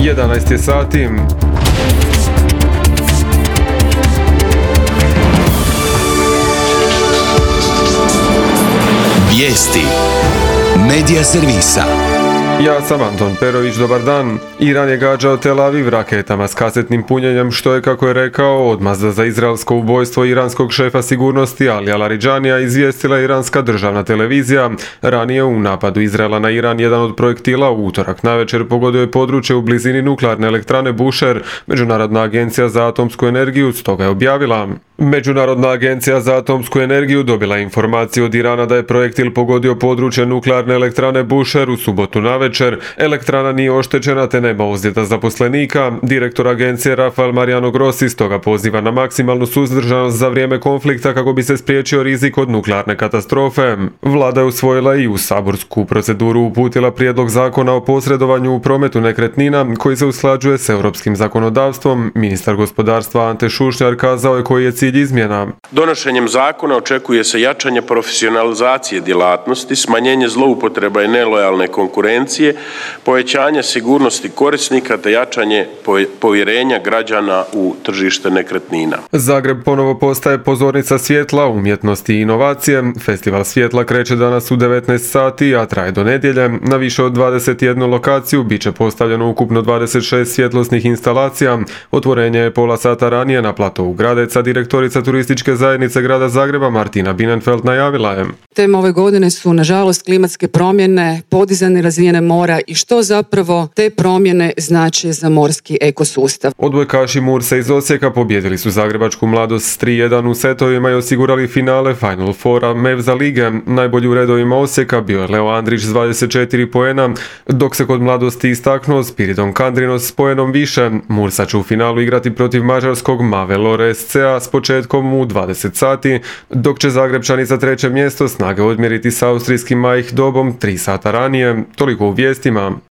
11 je sati. Vijesti Medija servisa. Ja sam Anton Perović, dobar dan. Iran je gađao Tel Aviv raketama s kasetnim punjenjem, što je, kako je rekao, odmazda za izraelsko ubojstvo iranskog šefa sigurnosti Alija Laridžanija, izvijestila iranska državna televizija. Ranije u napadu Izraela na Iran jedan od projektila u utorak navečer pogodio je područje u blizini nuklearne elektrane Bushehr. Međunarodna agencija za atomsku energiju stoga je objavila. Međunarodna agencija za atomsku energiju dobila informaciju od Irana da je projektil pogodio područje nuklearne elektrane Bushehr u subotu navečer. Elektrana nije oštećena te nema ozljeda zaposlenika. Direktor agencije Rafael Mariano Grossi stoga poziva na maksimalnu suzdržanost za vrijeme konflikta kako bi se spriječio rizik od nuklearne katastrofe. Vlada je usvojila i u saborsku proceduru uputila prijedlog zakona o posredovanju u prometu nekretnina koji se usklađuje s europskim zakonodavstvom. Ministar gospodarstva Ante Šušnjar kazao je koji je cilj izmjena. Donošenjem zakona očekuje se jačanje profesionalizacije djelatnosti, smanjenje zloupotreba i nelojalne konkurencije, povećanje sigurnosti korisnika te jačanje povjerenja građana u tržište nekretnina. Zagreb ponovo postaje pozornica svjetla, umjetnosti i inovacije. Festival svjetla kreće danas u 19 sati, a traje do nedjelje. Na više od 21 lokaciju bit će postavljeno ukupno 26 svjetlosnih instalacija. Otvorenje je pola sata ranije na platovu Gradeca. Direktorica turističke zajednice grada Zagreba Martina Binenfeld najavila je. Tema ove godine su nažalost klimatske promjene, podizanje razine mora i što zapravo te promjene znače za morski ekosustav. Odbojkaši Mursa iz Osijeka pobjedili su zagrebačku Mladost s 3:1 u setovima i osigurali finale Final Foura Mevza lige. Najbolji u redovima Osijeka bio je Leo Andrić s 24 poena, dok se kod Mladosti istaknuo Spiridon Kandrinos s poenom više. Mursa će u finalu igrati protiv mađarskog Mavelore SCA s početkom u 20 sati, dok će Zagrebčani za treće mjesto snage odmjeriti s austrijskim Maich Dobom 3 sata ranije. Toliko u vijestima.